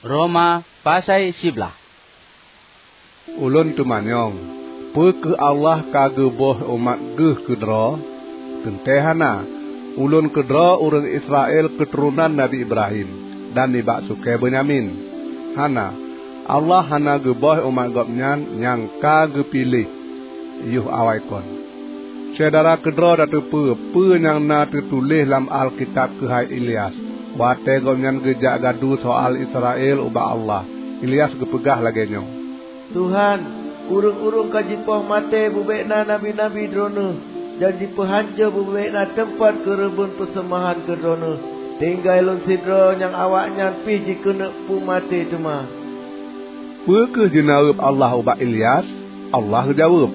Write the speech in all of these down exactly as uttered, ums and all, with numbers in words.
Roma pasai siblaih. Ulôn teumanyong, peu kheueh Allah ka geuboh umat Geuh keudroe? Teuntée hana! Ulôn keudroe ureuëng Israel keuturonan Nabi Ibrahim, dan nibak sukée Benyamin. Hana! Allah hana geuboh umat Gobnyan nyang ka geupiléh yoh awai kon. Syedara keudroe tateupeue peue nyang na teutuléh lam Alkitab keuhai Ilyas, watée gobnyan geujak gadu soal Israel ubak Allah. Ilyas geupeugah lagée nyoe, "Tuhan, ureuëng-ureuëng ka jipoh maté bubena nabi-nabi Droeneueh, dan jipeuhanco bubena teumpat keureubeuen peuseumahan keu Droeneueh, tinggai lôn sidroe nyang awaknyan pih jikeuneuk peumaté teuma." Peu kheueh jeunaweueb Allah ubak Ilyas? Allah geujaweueb,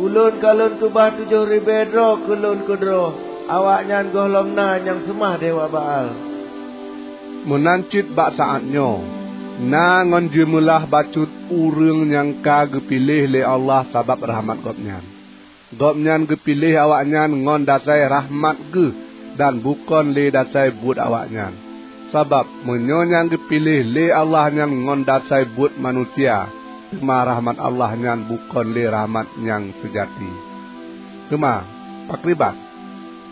"Ulôn ka lôn keubah tujoh ribée droe keu lôn keudroe, awaknyan gohlom na nyang seumah dewa Baal." Meunan cit bak saát nyoe, na ngon jeumeulaih bacut ureuëng nyang ka geupiléh lé Allah sabab rahmat Gobnyan. Gobnyan geupiléh awaknyan ngon dasai rahmat Geuh dan bukon lé dasai buet awaknyan. Sabab meunyoe nyang geupiléh lé Allah nyan ngon dasai buet manusia, teuma rahmat Allah nyan bukon lé rahmat nyang seujati. Teuma, pakriban?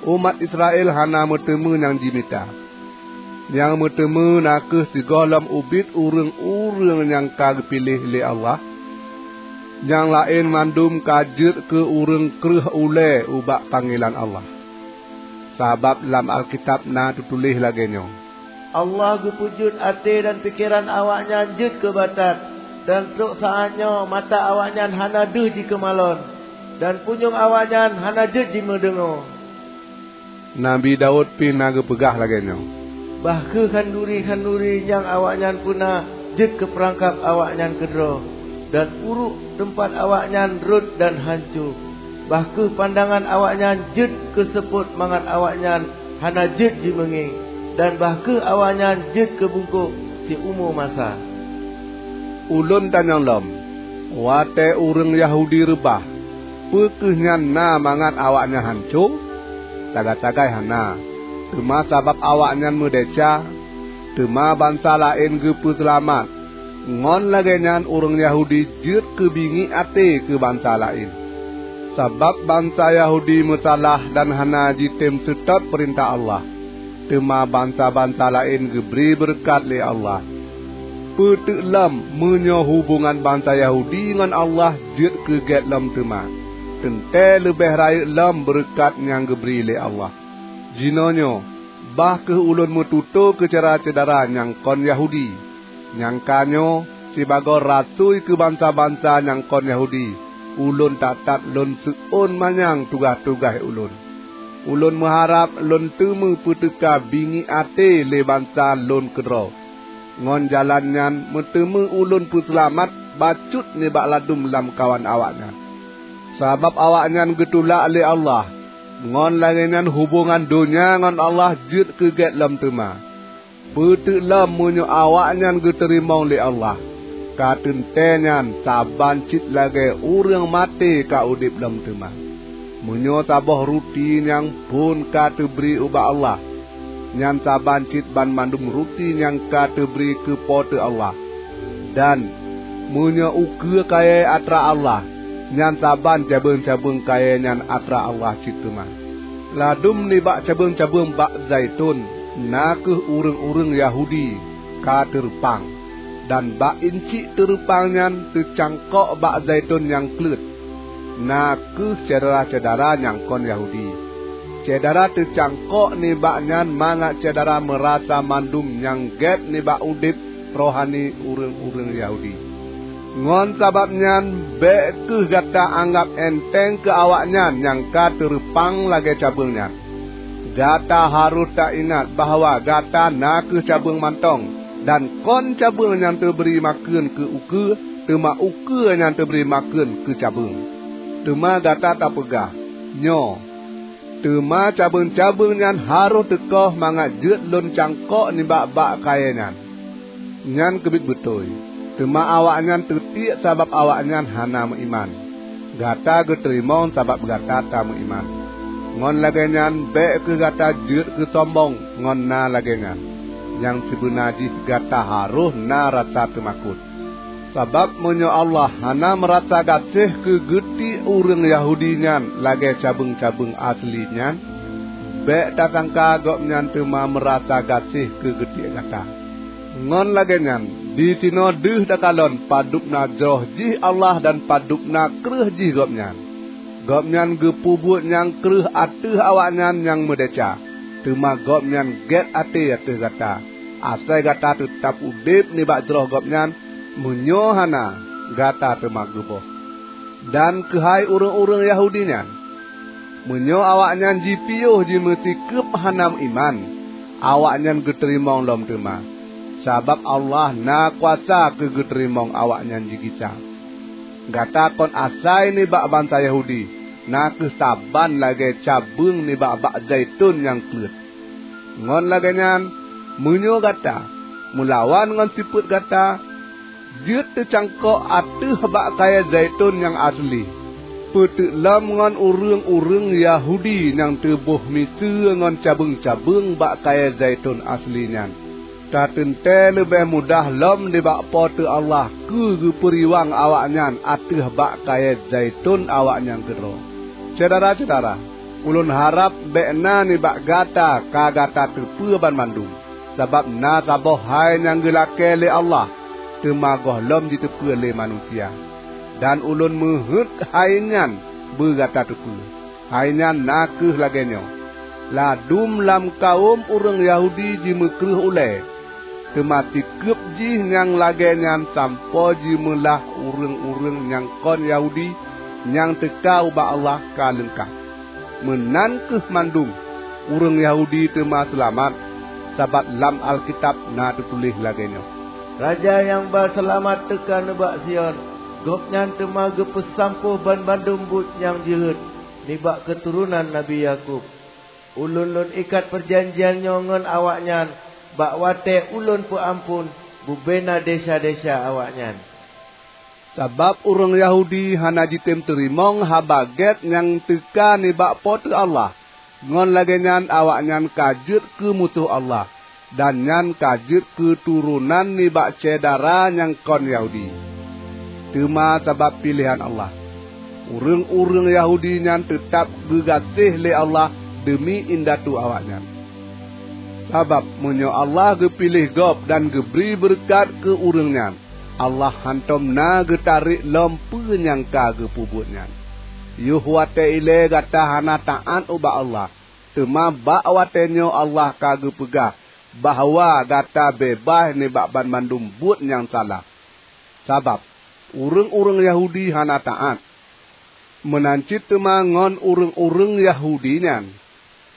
Umat Israel hana meuteumé nyang jimita. Nyang meuteumé na kheueh sigohlom ubit ureuëng-ureuëng nyang ka geupiléh lé Allah. Nyang laén mandum ka jeuet keu ureuëng kreueh ulée ubak panggilan Allah. Sabab lam Alkitab na teutuléh lagée nyoe, "Allah geupeujeuet até dan pikeran awaknyan jeuet keu batat, dan trok saát nyoe mata awaknyan hana deuh jikeumalon, dan punyueng awaknyan hana jeuet jimeudeungoe." Nabi Daud pih na geupeugah lagée nyoe, "Bah kheueh khanduri-khanduri nyang awaknyan peuna jeuet keu peurangkab awaknyan keudroe, dan uruek teumpat awaknyan rhot dan hanco. Bah kheueh pandangan awaknyan jeuet keu seupôt mangat awaknyan hana jeuet jimeungieng, dan bah kheueh awaknyan jeuet keu bungkôk siumu masa." Ulôn tanyong lom, watée ureuëng Yahudi reubah, peu kheueh nyan na mangat awaknyan hanco? Sagai-sagai hana! Teuma sabab awaknyan meudesya, teuma bansa laén geupeuseulamat. Ngon lagée nyan ureuëng Yahudi jeuet keu bingiek até keu bansa laén. Sabab bansa Yahudi meusalah dan hana jitem seutôt peurintah Allah, teuma bansa-bansa laén geubri beureukat lé Allah. Peuteuk lom meunyoe hubongan bansa Yahudi ngon Allah jeuet keu gét lom teuma, teuntée leubeh rayeuk lom beureukat nyang geubri lé Allah! Jinoenyoe, bah kheueh ulôn meututoe keu syedara-syedara nyang kon Yahudi. Nyang ka nyoe, sibagoe rasui keu bansa-bansa nyang kon Yahudi, ulôn that-that lôn seuôn manyang tugaih-tugaih ulôn. Ulôn meuharab lôn teumé peuteuka bingiek até lé bansa lôn keudroe. Ngon jalan nyan meuteumé ulôn peuseulamat bacut nibak ladum lamkawan awaknyan. Sabab awaknyan geutulak lé Allah, ngon lagée nyan hubongan donya ngon Allah jeuet keu gét lom teuma. Peuteuk lom meunyoe awaknyan geuteurimong lé Allah, ka teuntée nyan saban cit lagée ureuëng maté ka udeb lom teuma. Meunyoe saboh ruti nyang phon ka teubri ubak Allah, nyan saban cit banmandum ruti nyang ka teubri keu Po teu Allah. Dan meunyoe ukeue kayée atra Allah, nyan saban cabeueng-cabeueng kayée nyan atra Allah cit teuma. Ladum nibak cabeueng-cabeueng bak zaiton, na kheueh ureuëng-ureuëng Yahudi, ka teureupang, dan bak incik teureupang nyan teucangkok bak zaiton nyang kleuet, na kheueh syedara-syedara nyang kon Yahudi. Syedara teucangkok nibak nyan mangat syedara meurasa mandum nyang gét nibak udeb rohani ureuëng-ureuëng Yahudi. Ngon sabab nyan, bék kheueh gata anggab enteng keu awaknyan nyang ka teureupang lagée cabeueng nyan. Gata harôh taingat bahwa gata na kheueh cabeueng mantong, dan kon cabeueng nyang teubri makheun keu ukeue, teuma ukeue nyang teubri makheun keu cabeueng. Teuma gata tapeugah, "Nyoe, teuma cabeueng-cabeueng nyan harôh teukoh mangat jeuet lôn cangkok nibak bak kayée nyan." Nyan keubiet beutôi, teuma awaknyan teutiek sabab awaknyan hana meuiman. Gata geuteurimong sabab gata tameuiman. Ngon lagée nyan bék kheueh gata jeuet keu sombong ngon na lagée nyan. nyang sibeuna jih gata harôh na rasa teumakot. Sabab meunyoe Allah hana meurasa gaséh keu geutiek ureuëng Yahudi nyan lagée cabeueng-cabeueng asli nyan, bék tasangka Gobnyan teuma meurasa gaséh keu geutiek gata. Ngon lagée nyan, disinoe deuh takalon padubna jroh jih Allah dan padubna kreueh jih Gobnyan. Gobnyan geupeubuet nyang kreueh ateueh awaknyan nyang meudesya, teuma Gobnyan gét até ateueh gata, asai gata teutab udeb nibak jroh Gobnyan, meunyoe hana, gata teuma geuboh. Dan keuhai ureuëng-ureuëng Yahudi nyan, meunyoe awaknyan jipiôh jimeusiköp hana meuiman, awaknyan geuteurimong lom teuma, sabab Allah na kuasa keu geuteurimong awaknyan jigisa. Gata kon asai nibak bansa Yahudi, na kheueh saban lagée cabeueng nibak bak zaiton nyang kleuet. Ngon lagée nyan, meunyoe gata, meulawan ngon sifeuet gata, jeuet teucangkok ateueh bak kayée zaiton nyang asli, peuteuk lom ngon ureuëng-ureuëng Yahudi nyang teuboh miseue ngon cabeueng-cabeueng bak kayée zaiton asli nyan, tateuntée leubeh mudah lom nibak Po teu Allah keu geupeuriwang awaknyan ateueh bak kayée zaiton awaknyan keudroe. Syedara-syedara, ulôn harab bék na nibak gata ka gata teupeue banmandum, sabab na saboh hai nyang geulakée lé Allah, teuma gohlom jiteupeue lé manusia. Dan ulôn meuheuét hai nyan beu gata teupeue. Hai nyan na kheueh lagée nyoe: Ladum lamkawöm ureuëng Yahudi jimeukreueh ulée, teuma siköp jih nyang lagée nyan sampoe jimeulaih ureuëng-ureuëng nyang kon Yahudi nyang teuka ubak Allah ka leungkab. Meunan kheueh mandum ureuëng Yahudi teuma seulamat, sabab lam Alkitab na teutuléh lagée nyoe, "Raja nyang ba seulamat teuka nibak Sion, Gobnyan teuma geupeusampoe banmandum buet nyang jeuhet nibak keuturonan Nabi Yakub. Ulôn lôn ikat peujanjian nyoe ngon awaknyan bak watée ulôn peuamphon bubena desya-desya awaknyan." Sabab ureuëng Yahudi hana jitem teurimong Haba Gét nyang teuka nibak Po teu Allah, ngon lagée nyan awaknyan ka jeuet keu musoh Allah, dan nyan ka jeuet keu turonan nibak syedara nyang kon Yahudi. Teuma sabab piléhan Allah, ureuëng-ureuëng Yahudi nyan teutab geugaséh lé Allah deumi indatu awaknyan. Sabab meunyoe Allah geupiléh gob dan geubri beureukat keu ureuëng nyan, Allah hántom na geutarek lom peue nyang ka geupeubuet nyan. Yoh watée ilée gata hana taát ubak Allah, teuma bak watée nyoe Allah ka geupeugah bahwa gata beubaih nibak banmandum buet nyang salah. Sabab ureuëng-ureuëng Yahudi hana taát. Meunan cit teuma ngon ureuëng-ureuëng Yahudi nyan.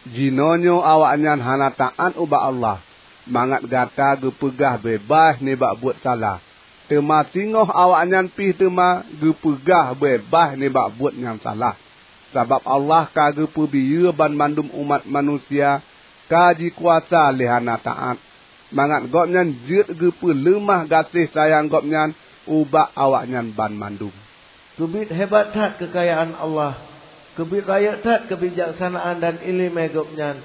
Jinoenyoe awaknyan hana taát ubak Allah, mangat gata geupeugah beubaih nibak buet salah, teuma singoh awaknyan pih teuma geupeugah beubaih nibak buet nyang salah. Sabab Allah ka geupeubiyeu banmandum umat manusia ka jikuasa lé hana taát, mangat Gobnyan jeuet geupeuleumah gaséh sayang Gobnyan ubak awaknyan banmandum. Keubiet hebat that keukayaan Allah! Keubiet rayeuk that keubijaksanaan dan iéleumé Gobnyan!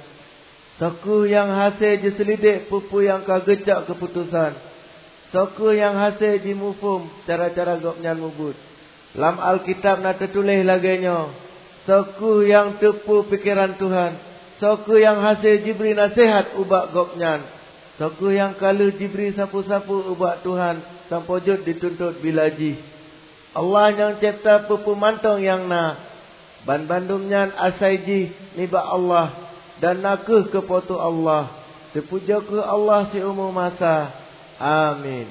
Soe kheueh nyang hase jiseulidik peue-peue nyang ka geucok keuputosan? Soe kheueh nyang hase jimuphom cara-cara Gobnyan mubuet? Lam Alkitab na teutuléh lagée nyoe, "Soe kheueh nyang teupeu pikeran Tuhan? Soe kheueh nyang hase jibri naseuhat ubak Gobnyan? Soe kheueh nyang ka lheueh jibri sapeue-sapeue ubak Tuhan sampoe jeuet jituntot bila jih?" Allah nyang cebta peue-peue mantong nyang na. Banmandum nyan asai jih nibak Allah dan na kheueh keu Po teu Allah. Teupujoe kheueh Allah siumu masa! Amin.